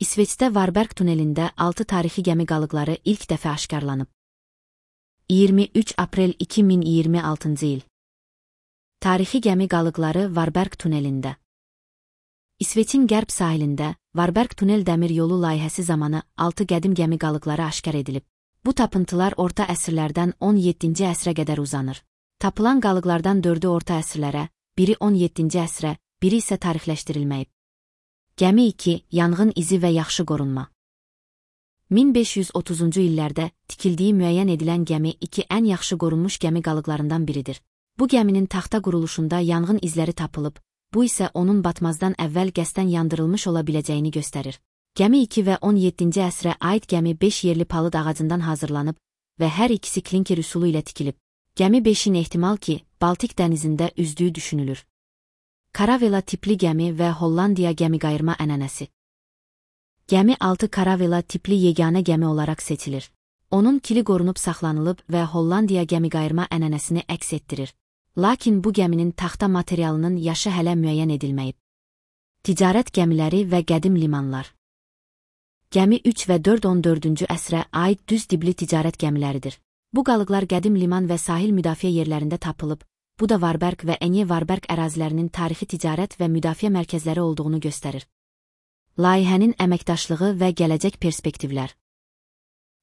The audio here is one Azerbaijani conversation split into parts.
İsveçdə Varberg tunelində 6 tarixi gəmi qalıqları ilk dəfə aşkarlanıb. 23 aprel 2026 il. Tarixi gəmi qalıqları Varberg tunelində. İsveçin qərb sahilində Varberg tunel dəmir yolu layihəsi zamanı 6 qədim gəmi qalıqları aşkar edilib. Bu tapıntılar orta əsrlərdən 17-ci əsrə qədər uzanır. Tapılan qalıqlardan 4-ü orta əsrlərə, biri 17-ci əsrə, biri isə tarixləşdirilməyib. Gəmi 2, yanğın izi və yaxşı qorunma. 1530-cu illərdə tikildiyi müəyyən edilən gəmi 2 ən yaxşı qorunmuş gəmi qalıqlarından biridir. Bu gəminin taxta quruluşunda yanğın izləri tapılıb, bu isə onun batmazdan əvvəl qəsdən yandırılmış ola biləcəyini göstərir. Gəmi 2 və 17-ci əsrə aid gəmi 5 yerli palıd ağacından hazırlanıb və hər ikisi klinker üsulu ilə tikilib. Gəmi 5-in ehtimal ki, Baltik dənizində üzdüyü düşünülür. Karavela tipli gəmi və Hollandiya gəmiqayırma ənənəsi. Gəmi 6 Karavela tipli yeganə gəmi olaraq seçilir. Onun kili qorunub saxlanılıb və Hollandiya gəmiqayırma ənənəsini əks etdirir. Lakin bu gəminin taxta materialının yaşı hələ müəyyən edilməyib. Ticarət gəmiləri və qədim limanlar. Gəmi 3 və 4 14-cü əsrə aid düz dibli ticarət gəmiləridir. Bu qalıqlar qədim liman və sahil müdafiə yerlərində tapılıb, bu da Varberg və Enye Varberg ərazilərinin tarixi ticarət və müdafiə mərkəzləri olduğunu göstərir. Layihənin əməkdaşlığı və gələcək perspektivlər.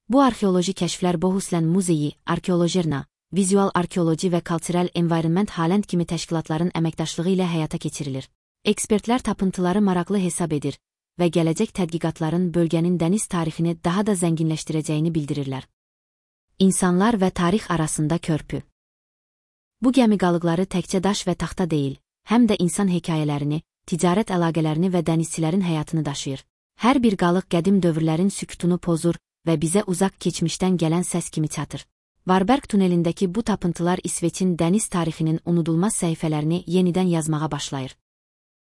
Bu arxeoloji kəşflər Bohuslän Muzeyi, Arkeolojerna, Vizual Arkeoloji və Cultural Environment Halland kimi təşkilatların əməkdaşlığı ilə həyata keçirilir. Ekspertlər tapıntıları maraqlı hesab edir və gələcək tədqiqatların bölgənin dəniz tarixini daha da zənginləşdirəcəyini bildirirlər. İnsanlar və tarix arasında körpü. Bu gəmi qalıqları təkcə daş və taxta deyil, həm də insan hekayələrini, ticarət əlaqələrini və dənizçilərin həyatını daşıyır. Hər bir qalıq qədim dövrlərin sükutunu pozur və bizə uzaq keçmişdən gələn səs kimi çatır. Varberg tunelindəki bu tapıntılar İsveçin dəniz tarixinin unudulmaz səhifələrini yenidən yazmağa başlayır.